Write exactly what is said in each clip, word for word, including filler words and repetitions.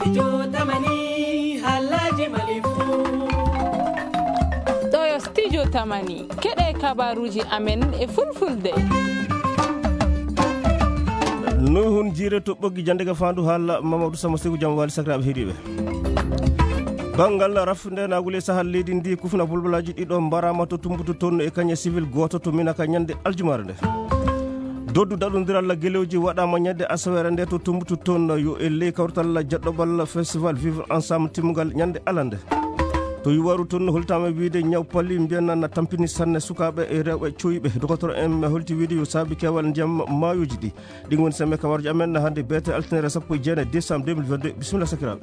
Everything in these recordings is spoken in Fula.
Studio Tamani, haalaaji Mali fuu. Ɗo yo Studio Tamani, keɗe kabaruuji amen e fulfulde. Nuhun Jiire to ɓoggi jannde ga faandu haala Mamadou Sama Seku, jam waali sakiraaɓe heɗiiɓe. Banngal rafnde naagule sahal leydi ndi kufna bulbulaaji ɗiɗo mbaraama to Tumbutu toon e kañe civil gooto to Minaka ñande aljumaare nde. Doddu daɗondiral gelooji waɗaama ñande asaweere nde to Tumbutu toon yo e ley kawtal jaɗɗobal festival Vivre Ensemble timmungal ñande alande. To Yuwaru toon holtaama wiide ñaw pali mbiyan na tampini sanne sukaaɓe e rewɓe coyɓe. Dokotoro en holti wiide yo saabi keewal ndiyam maayooji ɗi. Ɗin woni sembe kawarji amen hannde beete altine sappo e jeenayi décembre deux mille vingt-deux. Bisimilla sakiraaɓe.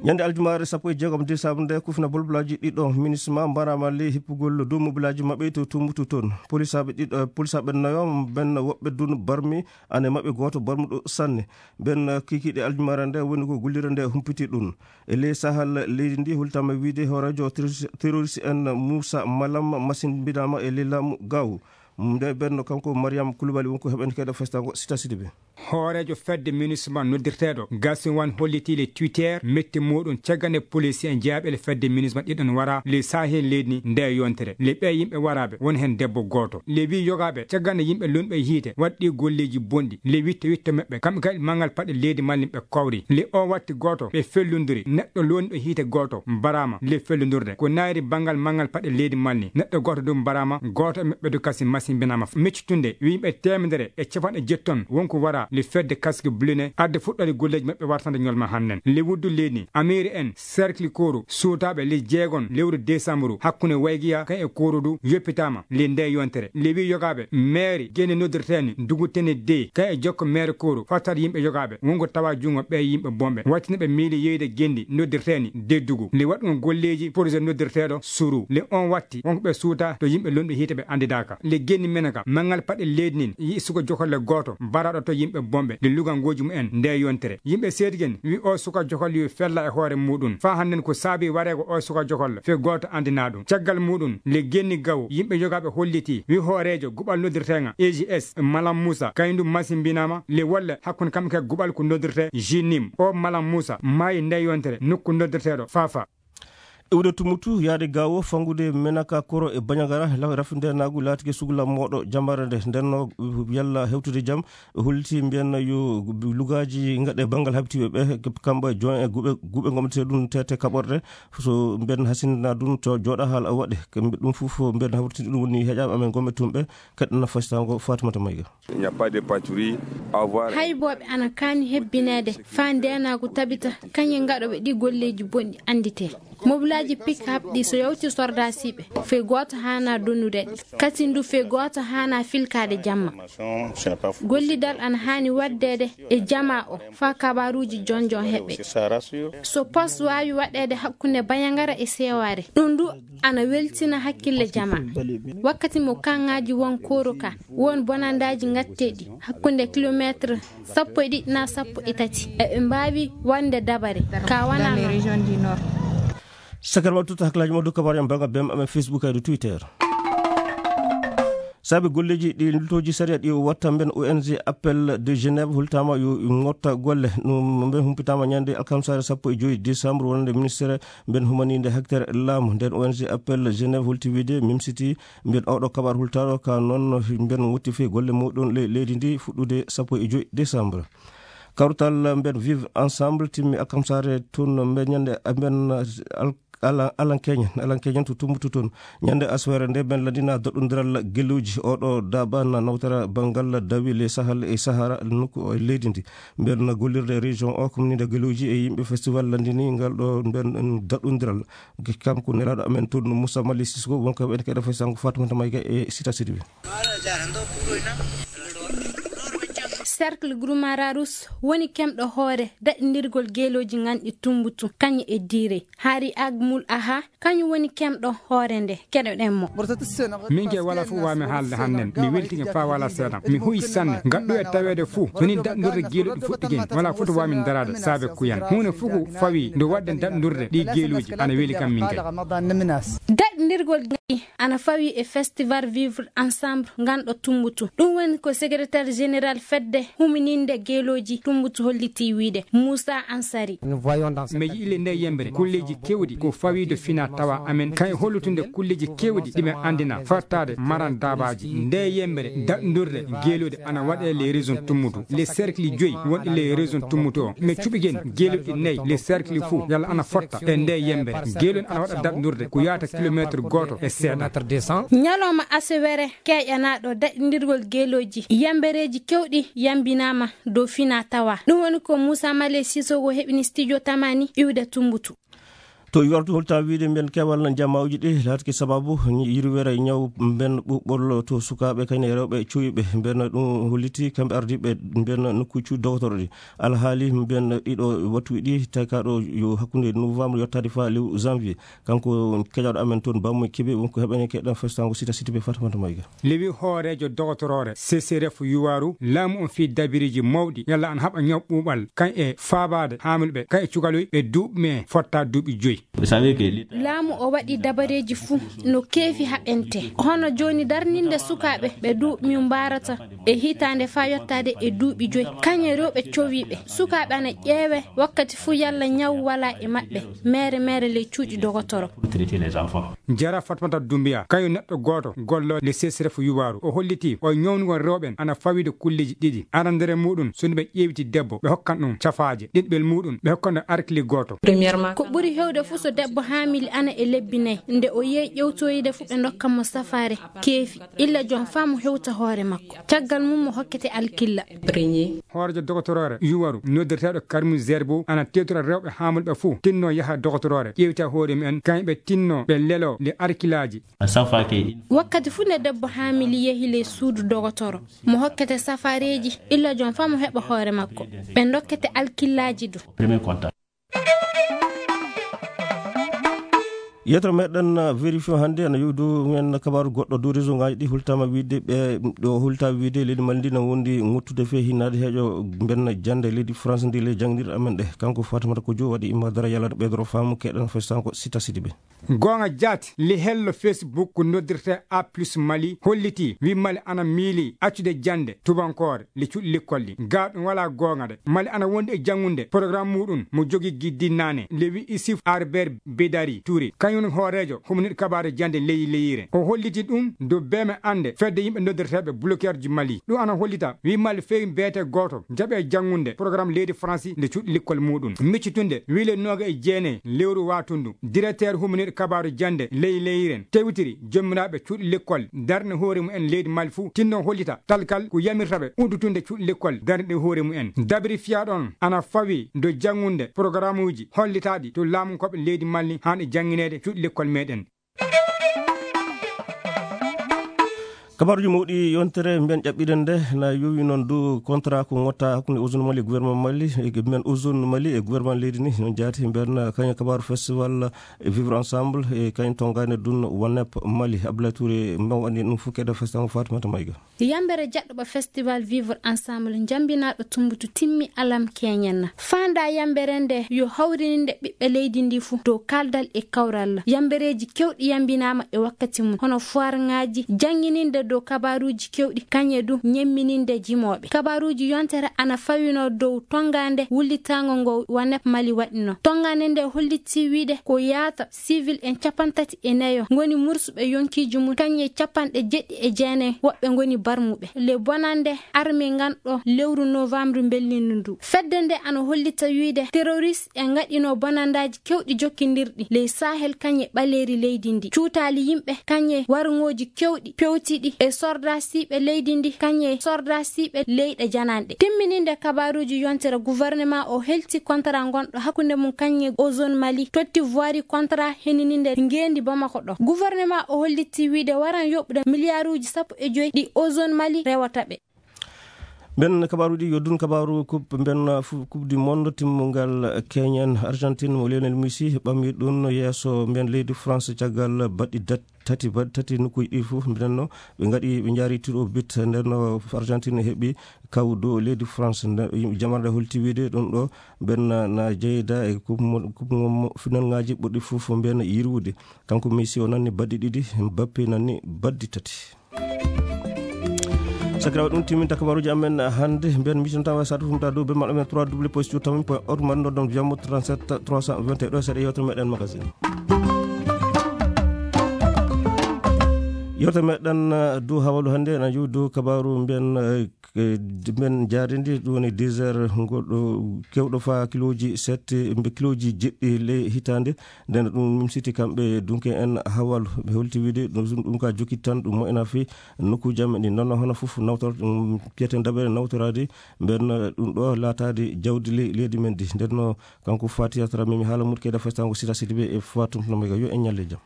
Ñande aljumaare sappo e jeegom décembre nde kufna bolbolaaji ɗiɗo minisma mbaraama ley hippugol dow mobilaaji maɓɓe to Tumbutu toon. Polisaaɓe ɗiɗo, polisaaɓe nayo ɓen woɓɓe dun barmi ane maɓɓe gooto barmuɗo sanne. Ɓen kikiiɗe aljumaare nde woni ko gullire nde humpiti ɗun. E ley sahal leydi ndi hultama wiide hooreejo terroriste, terroriste en Moussa Malam masin mbiɗama e ley laamu gawo. Nde ɓen kanko Mariam Koulibaly wonko heɓen keɗa festango sita sidi ɓe. Hooreejo fedde minisma noddirteeɗo Gasiwan holliti le Twitter metti muɗum caggal nde polisi en jeyaɓe le fedde minisma ɗiɗon wara le sahel leydi ndi nde yontere. Le ɓe yimɓe waraɓe won hen debbo gooto. Le wi yogaɓe caggal nde yimɓe lunɓe hiite waɗɗi golleji bonɗi. Le witte witte meɓɓe kamɓe kadi mangal paɗe leydi malli ɓe kawri. Le o watti gooto ɓe fellundiri neɗɗo lonɗo hiite gooto mbarama le fellundurde. Ko nayri bangal mangal paɗe leydi malli neɗɗo gooto du mbarama gooto e meɓɓe du kasi masimbinama. Meccitunde yimɓe temedere e capanɗe jetton wonko wara le fedde casque bleu ne adde fuɗɗode golleji maɓɓe wartande ñolma hannden. Le wuddu leydi amiri en cercle koro suutaɓe le jeegon lewru décembre hakkunde waygiya kan e koro du yoppitama le nde yontere. Le wi yogaɓe maire gene noddirteni dugutene de kan e jokko maire koro fattat yimɓe yogaɓe wonko tawa jungo ɓe yimɓe bomɓe wattinaɓe miili yeyde gendi noddirteni deddugu le waɗɗum golleji projet noddirteɗo suru le on watti wonko ɓe suuta to yimɓe lonɗo hiite ɓe andidaka. Le genni mena ka mangal paɗe leydi nin yi suka jokolle gooto baraɗo to yimɓe bomɓe le lugangoji mumen nde yontere. Yimɓe seedigen wi o suka jokolle yo fella e hoore muɗum fa hannden ko saabi wareego o suka jokolle fe gooto andina ɗum. Caggal muɗum le genni gawo yimɓe yogaɓe holliti wi hooreejo guɓal noddirtenga A G S Malam Moussa kañum ɗum masimbinama le wolle hakkunde kamɓe kadi guɓal ko noddirte Jinim. O Malam Moussa maayi nde yontere nokku noddirteɗo Fafa. Iwde Tumutu yaade gawo fangude Menaka Koro e Bañagara la rafindeenaagu laatike sugla mooɗo jamare nde ndenno yalla hewtude jam. Holliti mbiyan yo lugaaji ngaɗe banngal habitiiɓe ɓe kamɓe join e guɓe guɓe gomɗete ɗum tete kaɓorɗe so mbiyan hasindina ɗum to jooɗa haala waɗe. Kamɓe ɗum fof mbiyan hawritini ɗum woni heƴaaɓe amen gomɓe tumɓe. Kaɗɗana fasitango Fatimata Mayga. Il n'y a pas de patrouille à voir. Haybooɓe ana kaani hebbineede faa ndeenaagu tabita kañe ngaɗooɓe ɗi golleeji bonɗi annditee. Mobilaaji pick-up ɗi so yawti sordaasiiɓe fey gooto haana donnude ɗi. Kasi ndu fey gooto haana filkaade jamma. Gollidal ana haani waɗdeede e jamaa o faa kabaaruuji jonjon heɓe. So pos waawi waɗeede hakkunde Bañangara e Seewaare ɗum ndu ana weltina hakkille jamaa. Wakkati mo kaŋŋaaji won kooro ka won bonandaaji gatteeɗi hakkunde kilomeetre sappo e ɗiɗi na sappo e tati eɓe mbaawi wonde dabare ka wona noon. Sakar waɗtuta hakkilaaji mo dow kabaru en banngal bem amen Facebook e dow Twitter. Saabi golleeji ɗi lutooji sariya ɗi watta mben O N G Appel de Genève hultaama yo ngotta golle ɗum mbe humpitaama ñande alkamsaare sappo e joyi décembre wonande ministére mben humaninde haktere laamu nden O N G Appel Genève holti wiide mimsiti mben oɗo kabar hultaaɗo ka noon mben wotti fii golle muɗum le leydi ndi fuɗɗude sappo e joyi décembre. Kawtal mben Vivre Ensemble timmi alkamsaare tun mbe ñande mben al- ala alan keñen alan keñen to tumbutu toon. Ñande aswere nde mben landina doɗɗondiral gelluji oɗo daban nawtara bangal dawi le sahal e sahara nokku e leydi ndi. Mben gollirde région o communide gelluji e yimɓe festival landini ngal ɗo mben daɗɗondiral. Kam ko nelaɗo amen toon Moussa Mali Sisko wonko en keɗa fay sango Fatoumata Mayga e sita sidibi. Cercle Groumararus woni kemɗo hoore daɗindirgol geelooji nganɗi tumbutu kañe e diire. Hari Agmul Aha kañum woni kemɗo hoore nde keɗoɗen mo. Min ke wala fof wami haalde hannden mi weltike fa wala seeɗa mi huyi sanne ngadɗo e taweede fof so ni daɗndorde geeluɗi fuɗɗigen wala foto wami daraade saabe kuyan huunde fof ko fawi nde waɗden daɗndurde ɗi geeluuji ana weli kam min kay. Daɗndirgol ɗi ana fawi e festival Vivre Ensemble nganɗo tumbutu. Ɗum woni ko secrétaire général fedde Humininde geelooji, Tumbutu hollitii wiyde. Muusa Ansari. Nous voyons dans cette... Mi yi'ile nde yembere kulleeji keewɗi ko fawiido fina tawa amen, kay hollutunde kulleeji keewɗi ɗi men anndina fartaade maran daabaaji. Nde yembere daɗndurde geelooɗi ana waɗe les régions Tumbutu, les cercles joyi wonɗi les régions Tumbutu o. Mi cuɓigen geelooɗi nayi les cercles fuu yalla ana fotta e nde yembere. Geelooɗi ana waɗa daɗndurde ko yaata kilomètre gooto e seeɗa. Kilomètre deux cents. Ñalawma asewere keƴanaaɗo daɗndirgol geelooji, yembereeji keewɗi yambinaama dow fina tawa. Ɗum woni ko Muusa Male Sisoko heɓini studio Tamani iwde Tumbutu. To Yuwaru to holta wiyde mbiyen keewal jammaawuji ɗi laatake sababu yirwere ñaw mbiyen ɓuɓɓol to sukaaɓe kayne rewɓe cuuyɓe mbiyen ɗum holliti kamɓe ardiiɓe mbiyen nokkuuji dogotoro ɗi. Alhaali mbiyen ɗiɗo wattuuji ɗi tawi ka ɗo yo hakkunde novembre yottaade fa lewru janvier. Kanko keƴaaɗo amen toon Bammoy Kebe wonko heɓene keɗen festango sita siti be Fatimata Mayga. Lewi hooreejo dogotoroore C C R F Yuwaru, laamu on fii dabiriji mawɗi yalla ana haɓa ñaw ɓuuɓal kan e faabaade haamilɓe kan e cukaloy ɓe duuɓi me fotta duuɓi joyi. Laamu o waɗi dabareeji fuu no keefi haɓente, hono jooni darninde sukaaɓe ɓe duuɓi mbarata e hitaande faa yottaade e duuɓi joyi, kañe rewɓe cowiiɓe. Sukaaɓe ana ƴeewe wakkati fuu yalla ñaw walaa e maɓɓe, meere meere ley cuuɗi dogotoro. Jara Fatmata Dumbiya, kañum neɗɗo gooto gollooɗo le C C R F Yuwaru, o hollitii o ñawnugol rewɓe ana fawiido kulleeji ɗiɗi. Arandere muuɗum, so ɓe ƴeewti debbo, ɓe hokkan ɗum cafaaje. Ɗiɗɓel muuɗum, ɓe hokkan ɗum arkili gooto. Ko ɓuri heewde fuu so debbo haamili ana e lebbi nayi, nde o yehi ƴewtoyde fuu ɓe ndokkan mo safaare keefi, illa joom faa mo hewta hoore makko. Caggal mum mo hokkete alkilla. Hooreejo dogotoroore Yuwaru, noddirteeɗo Karimu Zerbo, ana teetora rewɓe haamilɓe fuu, tinno yaha dogotoroore, ƴeewta hoore mumen, kañɓe tinno ɓe lelo le arkilaaji. Wakkati fuu nde debbo haamili yehi le suudu dogotoro, mo hokkete safaareeji, illa joom faa mo heɓa hoore makko. Ɓe ndokkete alkillaaji du. Yetro meɗen vérifié hannde ene yowdu men kabaaru goɗɗo dow réseau ngaji ɗi hultama wiide ɓe ɗo hulta wiide leydi Mali ndi na wondi ŋottude fe hinnaade heeƴo benn jannde leydi France ndi le jannginirɗe amen ɗe. Kanko Fatimata Kojo waɗi imma dara yalata ɓeydoro faamu keɗen fo sanko sita sidi ɓe. Goonga jaati, li hello Facebook ko noddirte A plus Mali hollitii, wi Mali ana miili accude jannde tubankoore li cuɗi lekkol ɗi. Gaa ɗum walaa goonga de. Mali ana wondi e janngunde programme muɗum mo jogi giddi naane, le wi Issouf Albert Bedari Touré. Kañum hooreejo huminir kabaaru jannde leydi leyire. O holliti ɗum dow beeme annde fedde yimɓe noddirteeɓe bloqueurji Mali. Ɗum ana hollita, wi Mali feewi beete gooto jaɓe janngunde programme leydi Faransi nde cuɗi lekkol muɗum. Miccitunde, wi le nooga e jeenayi lewru waatundu, directeur huminir kabaaru jannde leydi leyire tewtiri jommiraaɓe cuuɗi lekkol darni hoore mumen leydi Mali fuu, tinno hollita talkal ko yamirta ɓe uddutunde cuuɗi lekkol darniɗe hoore mumen. Dabiri fiya ɗon ana fawi do janngunde programuuji hollitaaɗi to laamunkooɓe leydi Mali haani janngineede cuuɗi lekkol meɗen. Kabaruji mawɗi yontere mbiyen ƴaɓɓiɗen nde na yowi noon dow contrat ko ngotta hakkunde Ozone Mali e gouvernement Mali e mbiyen Ozone Mali e gouvernement leydi ni noon jaati mbiyen kañum kabaru festival Vivre Ensemble e kañum tonngani ɗum Wanep Mali. Abdoulaye Touré mbaw anndi ɗum fof keɗa festival Fatimata Mayga. Yambere jaɗɗoɓa festival Vivre Ensemble jambinaɗo tumbutu timmi alam keñenna. Fanda yambere nde yo hawrininde ɓiɓɓe leydi ndi fof dow kaldal e kawral. Yambereji kewɗi yambinama e wakkati mum hono foire ngaji, janngininde dow kabaruji kewɗi, kañe du ñemmininde jimoɓe. Kabaruji yontere ana fawino dow tongande wullitago ngo Wanep Mali waɗino. Tongande nde holliti wiide ko yaata civil en capanɗe tati e nayo ngoni mursuɓe yonkiiji mum, kañe capanɗe jeɗɗi e jeenayi woɓɓe ngoni barmuɓe. Le bonande arme nganɗo lewru novembre mbellini ndu. Fedde nde ana hollita wiide terroriste e ngaɗino bonandaji kewɗi jokkindirɗi ley Sahel kañe ɓaleeri leydi ndi. Cuutaali yimɓe kañe warngooji kewɗi pewtiɗi e sordasiiɓe leydi ndi kañe sordasiiɓe leyɗe jananɗe. Timmininde kabaruuji yontere gouvernement o helti contrat ngonɗo hakkunde mum kañe Ozone Mali totti voirie contrat henininde ngeendi Bamako ɗo. Gouvernement o holliti wiide waran yoɓude miliyaaruuji sappo e joyi ɗi Ozone Mali rewata ɓe. Mben kabaruuji yo dun kabaru coupe mben fu- coupe du monde timmungal keñen Argentine mo Lionel Messi ɓammi ɗum yeeso mben leydi France caggal baɗɗi dat- tati baɗɗi tati nokkuuji ɗi fof mbiɗen no ɓe ngaɗi ɓe njaari tiro bit nden no Argentine heɓi kaw dow leydi France. Nde yimɓe jamarde holti wiide ɗum ɗo mben na- na jeyda e coupe mo- coupe mo- mo- final ngaji ɓurɗi fof mben yirwude. Kanko Messi o nanni baɗɗi ɗiɗi, Mbappe nanni baɗɗi tati. Sakiraaɓe, ɗum timminta kabaruuji amen hannde. Mbiyen miijnoɗon tan, waasa tufnude dow bemmal amen trois w point org, mbaɗon noddam via mo trente-sept trois cent vingt et un. Ɗo seeɗa yewtere meɗen magazine. Yewtere meɗen, eh, dow hawalu hannde, ena yewi dow kabaru mbiyen, eh, k-, mbiyen njaareendi, ɗum woni dix heures, ngol ɗo keewɗo faa kilooji seeɗa, mbe kilooji jeɗɗi ley hitaande. Nden ɗum mimsiti kamɓe dunke en hawalu. Ɓe holti wiide ɗum, ɗum ka jokki tan, ɗum moƴƴina fii nokkuuji amen ɗi. Nden noon hono fof nawtor-, ɗum piyeten daɓere nawtoraade mbiyen, ɗum ɗo laataade jawdi ley-, leydi men ndi. Nden noon kanko Fati Yatra, memi haala mum keda festango sita siti ɓe e Fatum no mega yo en ñalle jam.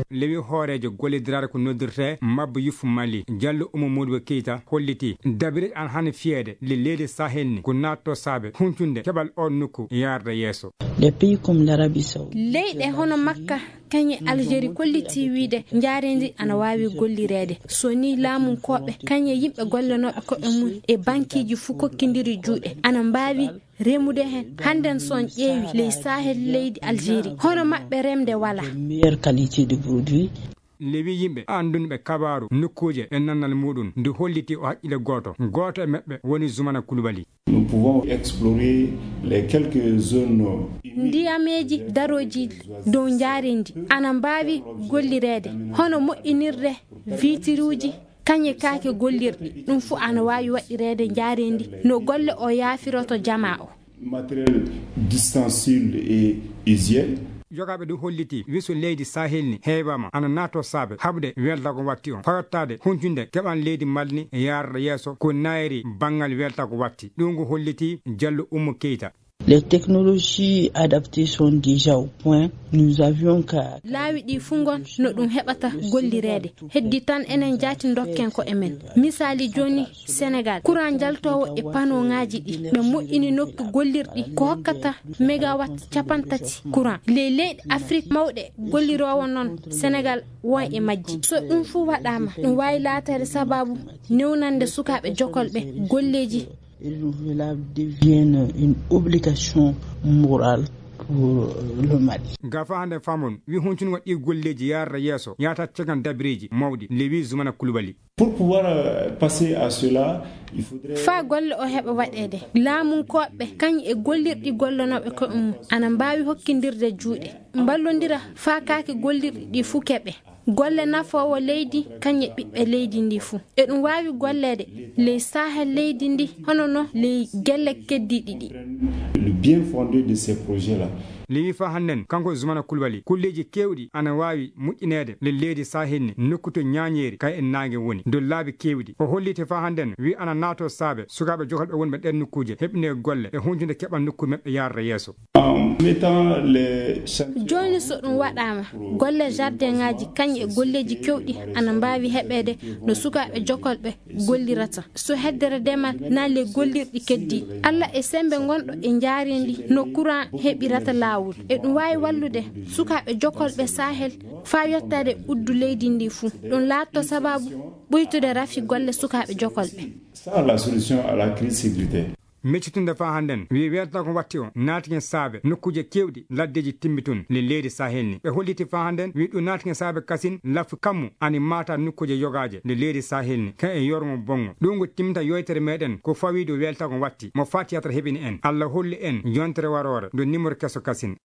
Lewi hooreejo gollidiraare ko noddirtee Mabba Yuf Mali, Jallo Umu Modibo Keita, holliti dabireeji ana hani fiyeede le leydi Sahel ni ko naatto saabe huncunde keɓal o nokku yaarde yeeso. Des pays comme l'Arabie Saoudite. Leyɗe hono Makka, kañe Algérie kolliti wiide njaareendi ana waawi gollireede. So ni laamunkooɓe, kañe yimɓe gollanooɓe koɓe mum e bankiiji fuu kokkindiri juuɗe, ana mbaawi remude heen. Hannden so on ƴeewi ley Sahel leydi Algérie, hono maɓɓe remde walaa. Meilleure qualité de produit. Lewi yimɓe anndunɓe kabaaru nokkuuje e nannal muɗum ndu holliti o haqqille gooto. Gooto e maɓɓe woni Zumana Koulibaly. Nous pouvons explorer les quelques zones humides. Ndiyameeji darooji dow njaareendi ana mbaawi gollireede, hono moƴƴinirde viitiruuji, kañe kaake gollirɗi. Ɗum fuu ana waawi waɗireede njaareendi no golle o yaafiroto jamaa o. Matériel d'ustensile et hygiène. Jogaaɓe ɗum holliti wiso leydi Sahel ni heewaama ana naato saabe haɓde weltago watti on. Fayottaade huncunde keɓal leydi Mali ni yaarata yeeso ko naayri banngal weltago watti. Ɗum ko holliti Jallo Ummu Keita. Les technologies adaptées sont déjà au point. Nous avions qu'à... Laawi ɗi fuu ngon no ɗum heɓata gollireede. Heddi tan enen jaati ndokken ko e men. Misaali jooni Sénégal, courant jaltoowo e panoŋaaji ɗi. Ɓe moƴƴini nokku gollirɗi ko hokkata megawatt capanɗe tati courant. Ley leyɗe Afrik mawɗe golliroowo noon, Sénégal won e majji. So ɗum fuu waɗaama, ɗum waawi laataade sabaabu newnande sukaaɓe jokolɓe golleeji. Et le renouvelable devienne une obligation morale pour le Mali. Gafa hannde famon, wi huncungo ɗi golleeji yaarata yeeso, yaata cegan dabireeji mawɗi, le wi Zumana Koulibaly. Pour pouvoir, euh, passer à cela, il faudrait... Faa golle o heɓa waɗeede, laamunkooɓe kañ e gollirɗi gollanooɓe koɓe mum ana mbaawi hokkindirde juuɗe, mballondira faa kaake gollirɗi ɗi fuu keɓe. Golle nafoowo leydi kañ e ɓiɓɓe leydi ndi fuu. E ɗum waawi golleede ley Sahel leydi ndi, hono no ley gelle keddiiɗi ɗi. Le bien fondé de ces projets-là. Lewi faa hannden, kanko Zumana Koulibaly, kulleeji keewɗi ana waawi moƴƴineede le leydi Sahel ni, nokku to ñaañeeri kay e naange woni, dow laabi keewɗi. O holliti faa hannden, wi ana naato saabe sukaaɓe jokolɓe wonɓe ɗeen nokkuuje, heɓine golle e huncunde keɓal nokku maɓɓe yaarata yeeso. En mettant les chantiers... Jooni so ɗum waɗaama, golle jardinŋaaji kañ e golleeji keewɗi ana mbaawi heɓeede no sukaaɓe jokolɓe gollirata. So heddere demal naa le gollirɗi keddiiɗi. Alla e semmbe ngonɗo e njaareendi no courant heɓirata laawol. E ɗum waawi wallude sukaaɓe jokolɓe Sahel faa yottaade uddu leydi ndi fuu. Ɗum laatto sabaabu ɓuytude rafi golle sukaaɓe jokolɓe. Ça, la solution à la crise sécuritaire. Meccitunde faa hannden, wi weltago watti o naatike saabe nokkuuje keewɗi laddeeji timmitun le leydi Sahel ni. Ɓe holliti faa hannden, wi ɗum naatike saabe kasin lafu kammu ani maata nokkuuje yogaaje le leydi Sahel ni, kañ e yorgo bonngo. Ɗum ko timminta yewtere meɗen ko fawi dow weltago watti mo Fatiyata heɓini en. Alla holli en yontere waroore, ndo nimoro keso kasin.